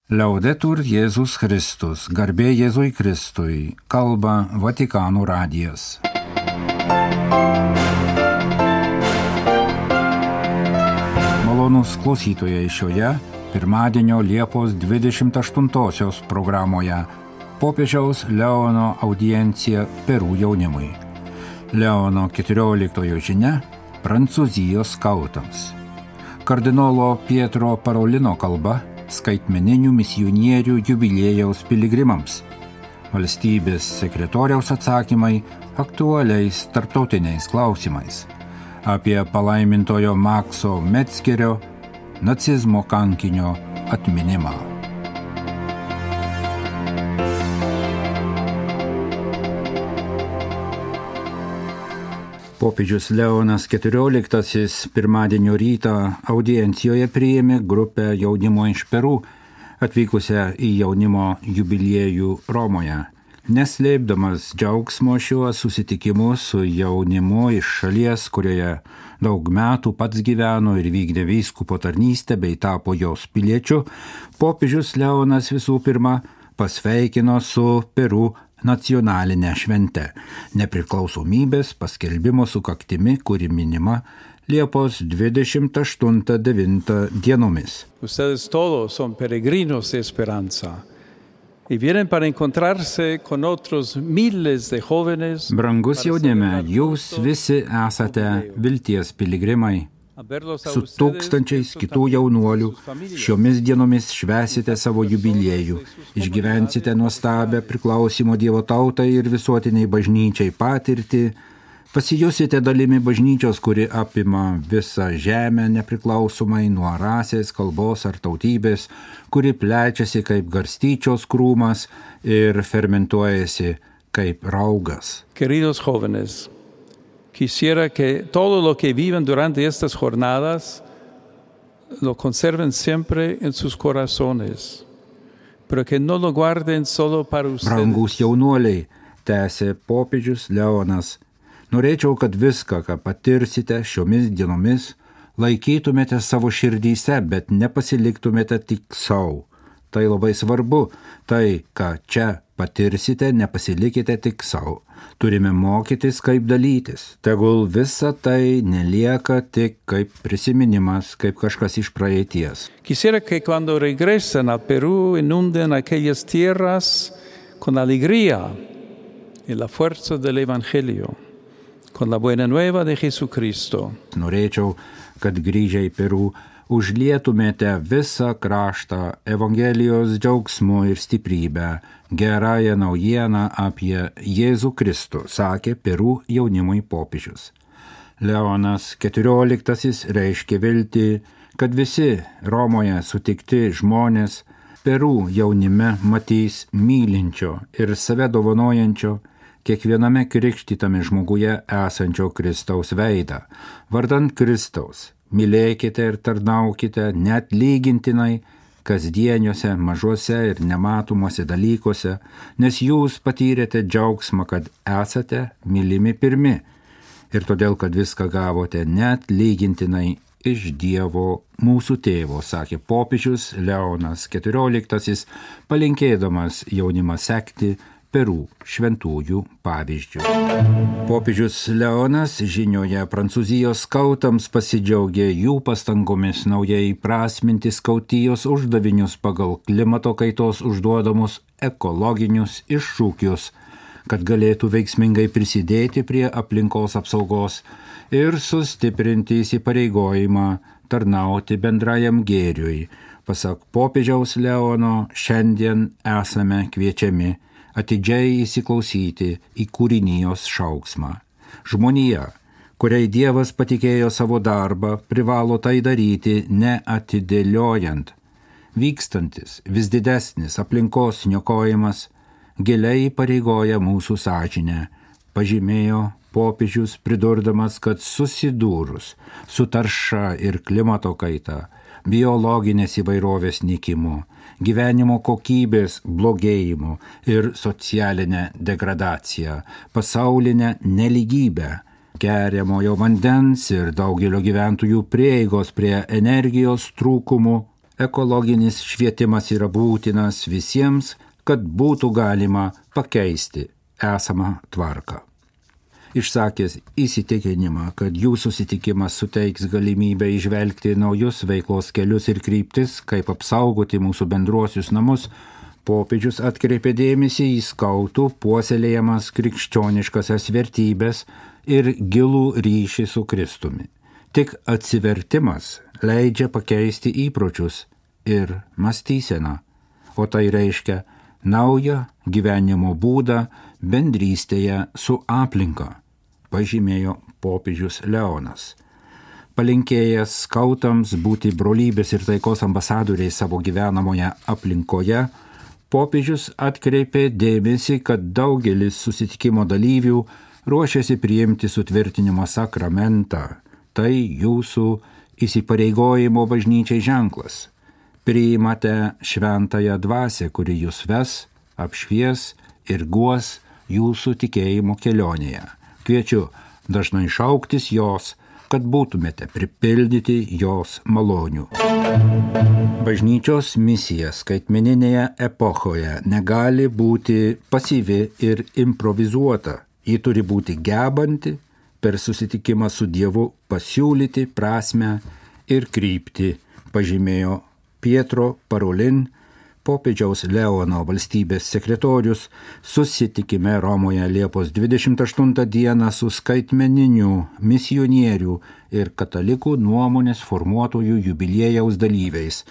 Laudetur Jėzus Kristus, garbė Jėzui Kristui, kalba Vatikano radijas. Malonūs klausytojai šioje pirmadienio Liepos 28 programoje popiežiaus Leono audiencija Peru jaunimui. Leono 14 žinia Prancūzijos skautams. Kardinolo Pietro Parolino kalba skaitmeninių misionierių jubiliejaus piligrimams. Valstybės sekretoriaus atsakymai aktualiais tarptautiniais klausimais. Apie palaimintojo Makso Metzgerio nacizmo kankinio atminimą. Popiežius Leonas XIV pirmadienio rytą audiencijoje priėmė grupę jaunimo iš Peru, atvykusią į jaunimo jubiliejų Romoje. Neslėpdamas džiaugsmo šiuo susitikimu su jaunimu iš šalies, kurioje daug metų pats gyveno ir vykdė vyskupo tarnystę bei tapo jos piliečiu, popiežius Leonas visų pirma pasveikino su Peru nacionalinę šventę, nepriklausomybės paskelbimo sukaktimi, kuri minima Liepos 28-9 dienomis. Ustedes todos son peregrinos de esperanza y vienen para encontrarse con otros miles de jóvenes. Brangus jaunime, jūs visi esate vilties piligrimai. Su tūkstančiais kitų jaunuolių šiomis dienomis švęsite savo jubiliejų, išgyvensite nuostabią priklausimo Dievo tautai ir visuotiniai bažnyčiai patirtį, pasijusite dalimi bažnyčios, kuri apima visą žemę nepriklausomai nuo rasės, kalbos ar tautybės, kuri plečiasi kaip garstyčios krūmas ir fermentuojasi kaip raugas. Queridos jóvenes, quisiera que todo lo que viven durante estas jornadas lo conserven siempre en sus corazones, pero que no lo guarden solo para ustedes. Brangus jaunuoliai, tęsė popiežius Leonas, norėčiau, kad viską, ką patirsite šiomis dienomis, laikytumėte savo širdyse, bet nepasiliktumėte tik savo. Tai labai svarbu, tai, ką čia patirsite, nepasilikite tik savo. Turime mokytis, kaip dalytis. Tegul visa tai nelieka tik kaip prisiminimas, kaip kažkas iš praeities. Quisiera que cuando regresen al Perú inunden aquellas tierras con alegría y la fuerza del Evangelio, con la buena nueva de Jesucristo. Norėčiau, kad grįžę į Peru užlietumėte visą kraštą Evangelijos džiaugsmu ir stiprybę, gerąją naujieną apie Jėzų Kristų, sakė Peru jaunimui popiežius. Leonas XIV reiškė viltį, kad visi Romoje sutikti žmonės Peru jaunime matys mylinčio ir save dovanojančio, kiekviename krikštytame žmoguje esančio Kristaus veidą. Vardant Kristaus, mylėkite ir tarnaukite net lygintinai kasdieniuose, mažuose ir nematomuose dalykuose, nes jūs patyrėte džiaugsmą, kad esate mylimi pirmi ir todėl, kad viską gavote net lygintinai iš Dievo mūsų tėvo, sakė popiežius Leonas XIV, palinkėdamas jaunimą sekti Peru šventųjų pavyzdžių. Popiežius Leonas žinioje Prancūzijos skautams pasidžiaugė jų pastangomis naujai prasminti skautijos uždavinius pagal klimato kaitos užduodamus ekologinius iššūkius, kad galėtų veiksmingai prisidėti prie aplinkos apsaugos ir sustiprinti įsipareigojimą tarnauti bendrajam gėriui. Pasak popiežiaus Leono, šiandien esame kviečiami atidžiai įsiklausyti į kūrinijos šauksmą. Žmonija, kuriai Dievas patikėjo savo darbą, privalo tai daryti neatidėliojant. Vykstantis, vis didesnis aplinkos niokojimas giliai įpareigoja mūsų sąžinę, pažymėjo popiežius, pridurdamas, kad susidūrus su tarša ir klimato kaita, biologinės įvairovės nykimu, gyvenimo kokybės blogėjimu ir socialinę degradaciją, pasaulinę nelygybę, geriamojo vandens ir daugelio gyventojų prieigos prie energijos trūkumų, ekologinis švietimas yra būtinas visiems, kad būtų galima pakeisti esamą tvarką. Išsakęs įsitikinimą, kad jų susitikimas suteiks galimybę įžvelgti naujus veiklos kelius ir kryptis, kaip apsaugoti mūsų bendruosius namus, popiežius atkreipė dėmesį į skautų puoselėjamas krikščioniškasias vertybės ir gilų ryšį su Kristumi. Tik atsivertimas leidžia pakeisti įpročius ir mąstyseną, o tai reiškia naują gyvenimo būdą bendrystėje su aplinka, pažymėjo popiežius Leonas. Palinkėjęs skautams būti brolybės ir taikos ambasadoriai savo gyvenamoje aplinkoje, popiežius atkreipė dėmesį, kad daugelis susitikimo dalyvių ruošiasi priimti sutvirtinimo sakramentą. Tai jūsų įsipareigojimo bažnyčiai ženklas. Priimate šventąją dvasią, kuri jūs ves, apšvies ir guos jūsų tikėjimo kelionėje. Kviečiu dažnai šauktis jos, kad būtumėte pripildyti jos malonių. Bažnyčios misija skaitmeninėje epochoje negali būti pasyvi ir improvizuota. Ji turi būti gebanti per susitikimą su Dievu pasiūlyti prasmę ir kryptį, pažymėjo Pietro Parolin, popiežiaus Leono valstybės sekretorius, susitikime Romoje Liepos 28 dieną su skaitmeninių misionierių ir katalikų nuomonės formuotojų jubiliejaus dalyviais.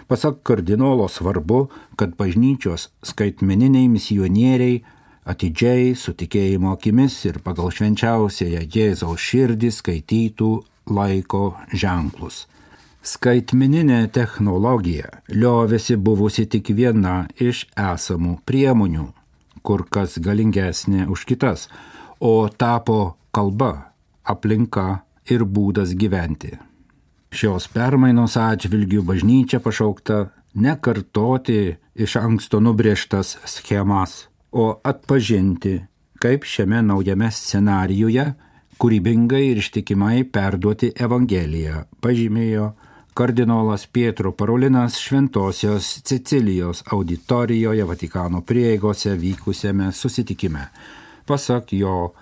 Pasak kardinolo svarbu, kad bažnyčios skaitmeniniai misionieriai atidžiai su tikėjimo akimis ir pagal švenčiausiąją Jėzaus širdį skaitytų laiko ženklus. Skaitmeninė technologija liovėsi buvusi tik viena iš esamų priemonių, kur kas galingesnė už kitas, o tapo kalba, aplinka ir būdas gyventi. Šios permainos atžvilgių bažnyčia pašaukta nekartoti iš anksto nubrėžtas schemas, o atpažinti, kaip šiame naujame scenarijuje kūrybingai ir ištikimai perduoti Evangeliją, pažymėjo kardinolas Pietro Parolinas Šventosios Cecilijos auditorijoje Vatikano prieigose vykusiame susitikime. Pasak jo,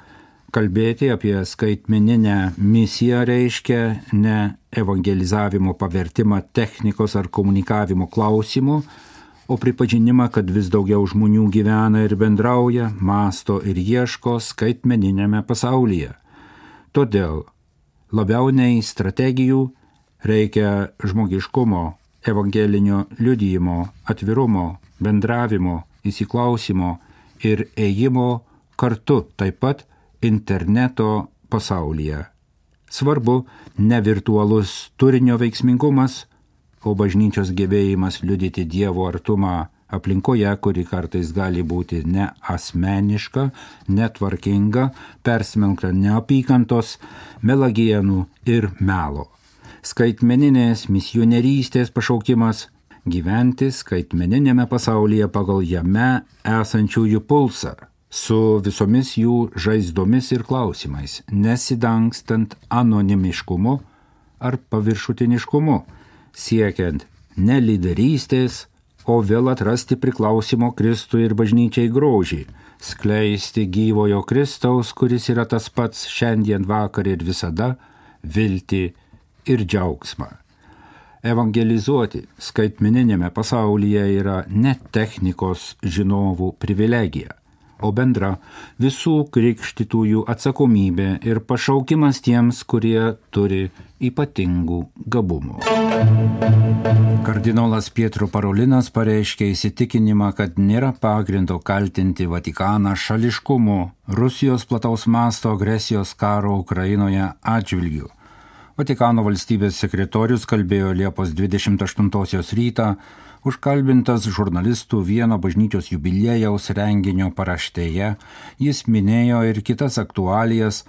kalbėti apie skaitmeninę misiją reiškia ne evangelizavimo pavertimą technikos ar komunikavimo klausimų, o pripažinimą, kad vis daugiau žmonių gyvena ir bendrauja, mąsto ir ieško skaitmeninėme pasaulyje. Todėl labiau nei strategijų reikia žmogiškumo, evangelinio liudijimo, atvirumo, bendravimo, įsiklausimo ir ėjimo kartu taip pat interneto pasaulyje. Svarbu ne virtualus turinio veiksmingumas, o bažnyčios gebėjimas liudyti Dievo artumą aplinkoje, kuri kartais gali būti neasmeniška, netvarkinga, persmelkta neapykantos, melagienų ir melo. Skaitmeninės misionierystės pašaukimas – gyventi skaitmeninėme pasaulyje pagal jame esančiųjų pulsą, su visomis jų žaizdomis ir klausimais, nesidangstant anonimiškumu ar paviršutiniškumu, siekiant ne lyderystės, o vėl atrasti priklausimo Kristui ir bažnyčiai grožį, skleisti gyvojo Kristaus, kuris yra tas pats šiandien, vakar ir visada, viltį ir džiaugsmą. Evangelizuoti skaitmeninėme pasaulyje yra ne technikos žinovų privilegija, o bendra visų krikštytųjų atsakomybė ir pašaukimas tiems, kurie turi ypatingų gabumų. Kardinolas Pietro Parolinas pareiškė įsitikinimą, kad nėra pagrindo kaltinti Vatikaną šališkumu Rusijos plataus masto agresijos karo Ukrainoje atžvilgiu. Vatikano valstybės sekretorius kalbėjo Liepos 28 rytą, užkalbintas žurnalistų vieno bažnyčios jubiliejaus renginio paraštėje, jis minėjo ir kitas aktualijas,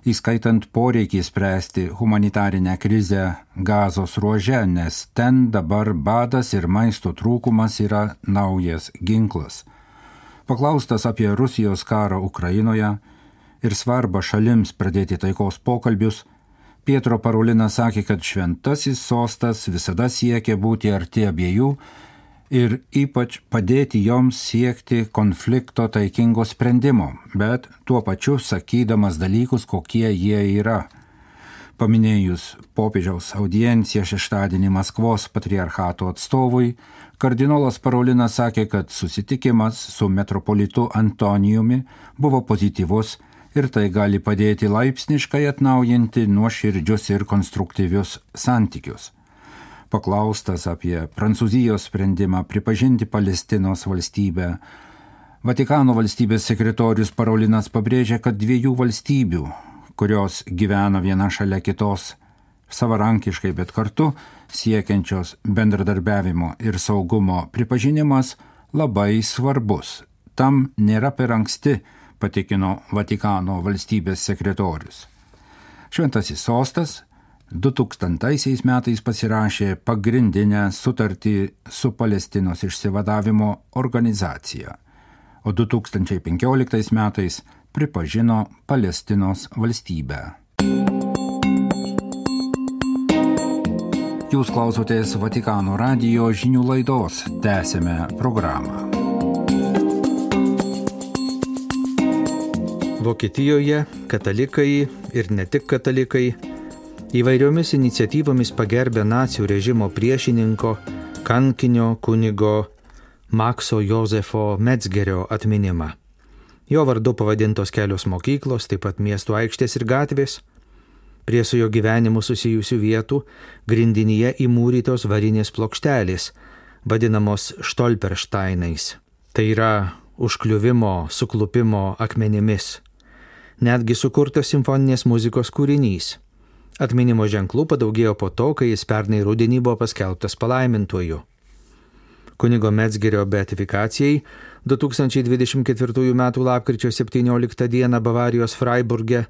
įskaitant poreikį spręsti humanitarinę krizę Gazos ruože, nes ten dabar badas ir maisto trūkumas yra naujas ginklas. Paklaustas apie Rusijos karą Ukrainoje ir svarbą šalims pradėti taikos pokalbius, Pietro Parolinas sakė, kad šventasis sostas visada siekia būti arti abiejų ir ypač padėti joms siekti konflikto taikingo sprendimo, bet tuo pačiu sakydamas dalykus, kokie jie yra. Paminėjus popiežiaus audienciją šeštadienį Maskvos patriarchato atstovui, kardinolas Parolinas sakė, kad susitikimas su metropolitu Antonijumi buvo pozityvus ir tai gali padėti laipsniškai atnaujinti nuoširdžius ir konstruktyvius santykius. Paklaustas apie Prancūzijos sprendimą pripažinti Palestinos valstybę, Vatikano valstybės sekretorius Parolinas pabrėžė, kad dviejų valstybių, kurios gyvena viena šalia kitos, savarankiškai, bet kartu siekiančios bendradarbiavimo ir saugumo pripažinimas labai svarbus. Tam nėra per anksti, patikino Vatikano valstybės sekretorius. Šventasis sostas 2000 metais pasirašė pagrindinę sutartį su Palestinos išsivadavimo organizacija, o 2015 metais pripažino Palestinos valstybę. Jūs klausotės Vatikano radijo žinių laidos, tęsėme programą. Vokietijoje katalikai ir ne tik katalikai įvairiomis iniciatyvomis pagerbė nacių režimo priešininko, kankinio kunigo Makso Jozefo Metzgerio atminimą. Jo vardu pavadintos kelios mokyklos, taip pat miesto aikštės ir gatvės. Prie su jo gyvenimu susijusių vietų grindinyje įmūrytos varinės plokštelės, vadinamos Stolpersteinais. Tai yra užkliuvimo, suklupimo akmenimis. Netgi sukurtas simfoninės muzikos kūrinys. Atminimo ženklų padaugėjo po to, kai jis pernai rudenį buvo paskelbtas palaimintuoju. Kunigo Metzgerio beatifikacijai 2024 m. lapkričio 17 d. Bavarijos Freiburge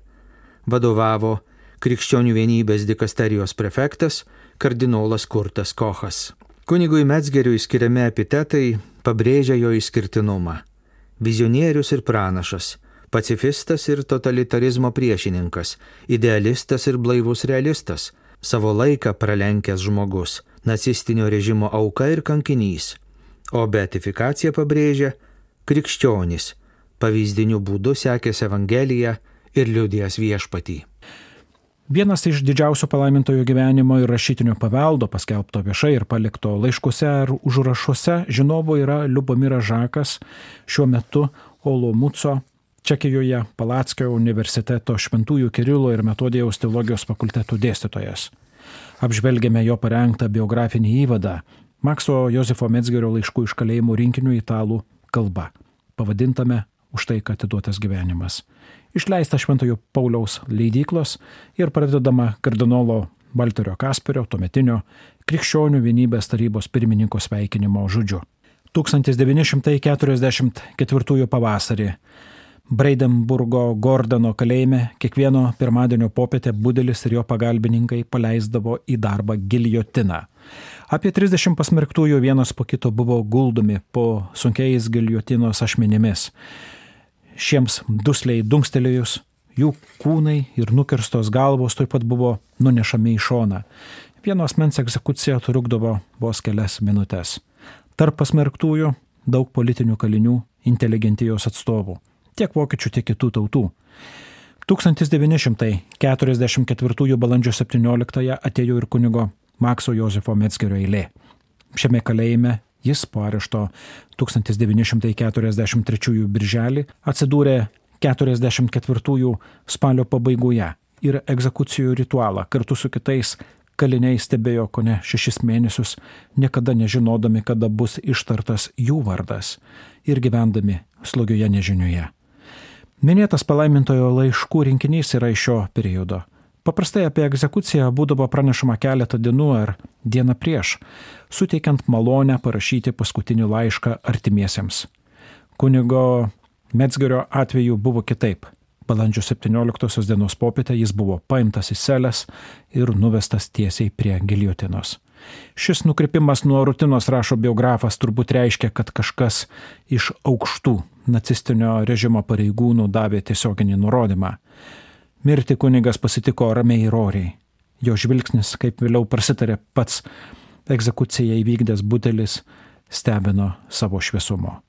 vadovavo Krikščionių vienybės dikasterijos prefektas kardinolas Kurtas Kochas. Kunigui Metzgeriui skiriami epitetai pabrėžia jo išskirtinumą. Vizionierius ir pranašas, pacifistas ir totalitarizmo priešininkas, idealistas ir blaivus realistas, savo laiką pralenkęs žmogus, nacistinio režimo auka ir kankinys, o beatifikacija pabrėžia krikščionis, pavyzdiniu būdu sekęs Evangeliją ir liudijęs viešpatį. Vienas iš didžiausių palaimintojo gyvenimo ir rašytinio paveldo, paskelbto viešai ir palikto laiškuose ar užrašuose, žinovo yra Liubomiras Žakas, šiuo metu Olomouco, Čekijoje Palackio universiteto Šventųjų Kirilo ir Metodijaus teologijos fakultetų dėstytojas. Apžvelgėme jo parengtą biografinį įvadą Makso Jozefo Metzgerio laiškų iš kalėjimų rinkinių italų kalba, pavadintame Už tai, kad atiduotas gyvenimas. Išleista Šventojo Pauliaus leidyklos ir pradedama kardinolo Valterio Kasperio, tuometinio Krikščionių vienybės tarybos pirmininko sveikinimo žodžiu. 1944 pavasarį Breidenburgo Gordano kalėjime kiekvieno pirmadienio popietę Budelis ir jo pagalbininkai paleisdavo į darbą giljotiną. Apie 30 pasmerktųjų vienas po kito buvo guldomi po sunkiais giljotinos ašmenimis. Šiems dusliai dunkstelėjus, jų kūnai ir nukirstos galvos taip pat buvo nunešami į šoną. Vieno asmens egzekucija trukdavo vos kelias minutės. Tarp pasmerktųjų daug politinių kalinių, inteligentijos atstovų, tiek vokiečių, tiek kitų tautų. 1944 balandžio 17 atėjo ir kunigo Makso Jozefo Metzgerio eilė. Šiame kalėjime jis po arešto 1943 birželį atsidūrė 44 spalio pabaigoje ir egzekucijų ritualą kartu su kitais kaliniai stebėjo kone 6 mėnesius, niekada nežinodami, kada bus ištartas jų vardas ir gyvendami slogioje nežinioje. Minėtas palaimintojo laiškų rinkinys yra iš šio periodo. Paprastai apie egzekuciją būdavo pranešama keletą dienų ar dieną prieš, suteikiant malonę parašyti paskutinį laišką artimiesiems. Kunigo Metzgerio atveju buvo kitaip. Balandžio 17 dienos popietę jis buvo paimtas į celes ir nuvestas tiesiai prie giljotinos. Šis nukrypimas nuo rutinos, rašo biografas, turbūt reiškia, kad kažkas iš aukštų nacistinio režimo pareigūnų davė tiesioginį nurodymą. Mirti kunigas pasitiko ramiai ir oriai. Jo žvilgsnis, kaip vėliau prasitarė pats egzekuciją įvykdęs Butelis, stebino savo šviesumo.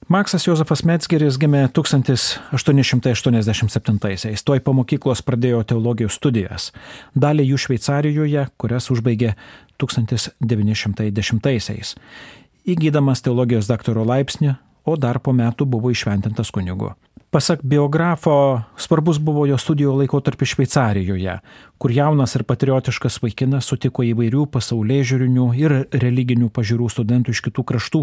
Maksas Jozefas Metzgeris gimė 1887-aisiais. Tuoj po mokyklos pradėjo teologijos studijas. Dalį jų Šveicarijoje, kurias užbaigė 1910-aisiais. Įgydamas teologijos daktaro laipsnį, o dar po metų buvo įšventintas kunigu. Pasak biografo, svarbus buvo jo studijų laikotarpis Šveicarijoje, kur jaunas ir patriotiškas vaikinas sutiko įvairių pasaulėžiūrinių ir religinių pažiūrų studentų iš kitų kraštų.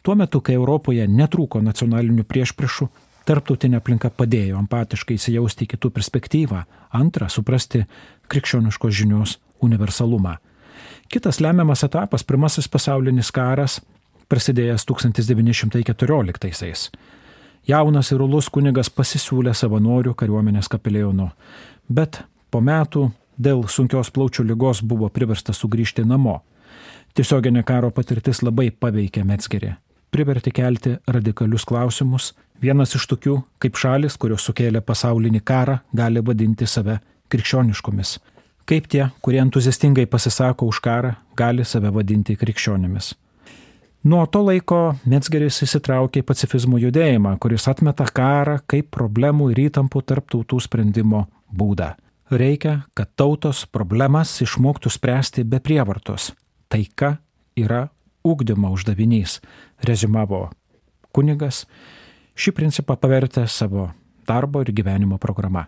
Tuo metu, kai Europoje netrūko nacionalinių priešpriešų, tarptautinė aplinka padėjo empatiškai įsijausti į kitų perspektyvą, antra, suprasti krikščioniškos žinios universalumą. Kitas lemiamas etapas, Pirmasis pasaulinis karas, prasidėjęs 1914-aisiais. Jaunas ir uolus kunigas pasisiūlė savanorių kariuomenės kapelionu, bet po metų dėl sunkios plaučių ligos buvo priverstas sugrįžti namo. Tiesioginė karo patirtis labai paveikė Metzgerį. Privertė kelti radikalius klausimus. Vienas iš tokių, kaip šalis, kurios sukėlė pasaulinį karą, gali vadinti save krikščioniškomis. Kaip tie, kurie entuziastingai pasisako už karą, gali save vadinti krikščionimis. Nuo to laiko Metzgeris įsitraukė į pacifizmo judėjimą, kuris atmeta karą kaip problemų ir įtampų tarp tautų sprendimo būdą. Reikia, kad tautos problemas išmoktų spręsti be prievartos. Taika yra ugdymo uždavinys, rezumavo kunigas, šį principą pavertė savo darbo ir gyvenimo programa.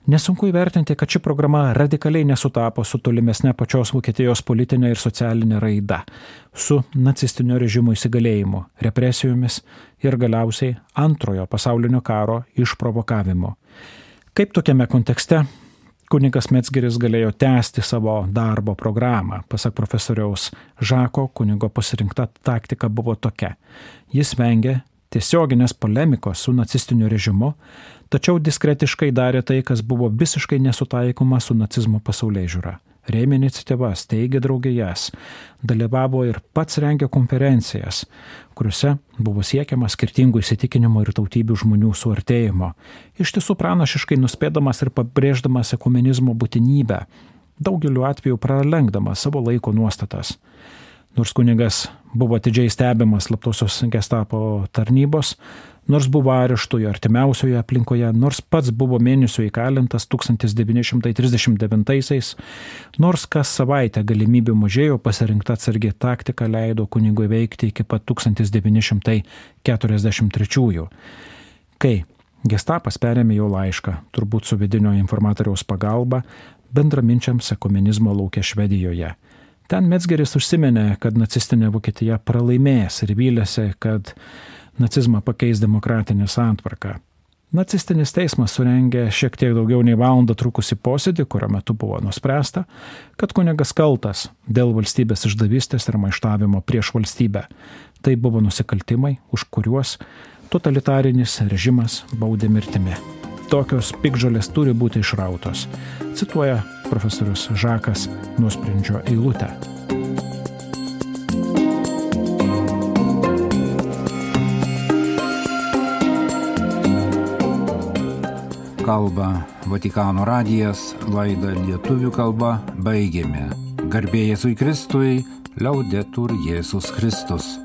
Nesunku įvertinti, kad ši programa radikaliai nesutapo su tolimesne pačios Vokietijos politinė ir socialinė raida, su nacistinio režimo įsigalėjimu, represijomis ir galiausiai antrojo pasaulinio karo išprovokavimu. Kaip tokiame kontekste kunigas Metzgeris galėjo tęsti savo darbo programą? Pasak profesoriaus Žako, kunigo pasirinkta taktika buvo tokia. Jis vengė tiesioginės polemikos su nacistiniu režimu, tačiau diskretiškai darė tai, kas buvo visiškai nesutaikoma su nacizmo pasaulėžiūra. Rėmė iniciatyvas, teigė draugijas, dalyvavo ir pats rengė konferencijas, kuriuose buvo siekiama skirtingų įsitikinimų ir tautybių žmonių suartėjimo, iš tiesų pranašiškai nuspėdamas ir pabrėždamas ekumenizmo būtinybę, daugeliu atveju pralenkdamas savo laiko nuostatas. Nors kunigas buvo atidžiai stebimas slaptosios gestapo tarnybos, nors buvo areštoje artimiausioje aplinkoje, nors pats buvo mėnesio įkalintas 1939-aisiais, nors kas savaitę galimybių mažėjo, pasirinkta atsargi taktika leido kunigui veikti iki pat 1943-ųjų. Kai gestapas perėmė jo laišką, turbūt su vidinio informatoriaus pagalba, bendraminčiams ekumenizmo lauke Švedijoje. Ten Metzgeris užsiminė, kad nacistinė Vokietija pralaimės ir vylėsi, kad nacizmą pakeis demokratinė santvarka. Nacistinis teismas surengė šiek tiek daugiau nei valandą trukusį posėdį, kurio metu buvo nuspręsta, kad kunigas kaltas dėl valstybės išdavystės ir maištavimo prieš valstybę. Tai buvo nusikaltimai, už kuriuos totalitarinis režimas baudė mirtimi. Tokios piktžolės turi būti išrautos, cituoja profesorius Žakas nuosprendžio eilutę. Kalba Vatikano radijas, laidą lietuvių kalba baigėme. Garbė Jėzui Kristui, liaudetur Jėzus Kristus.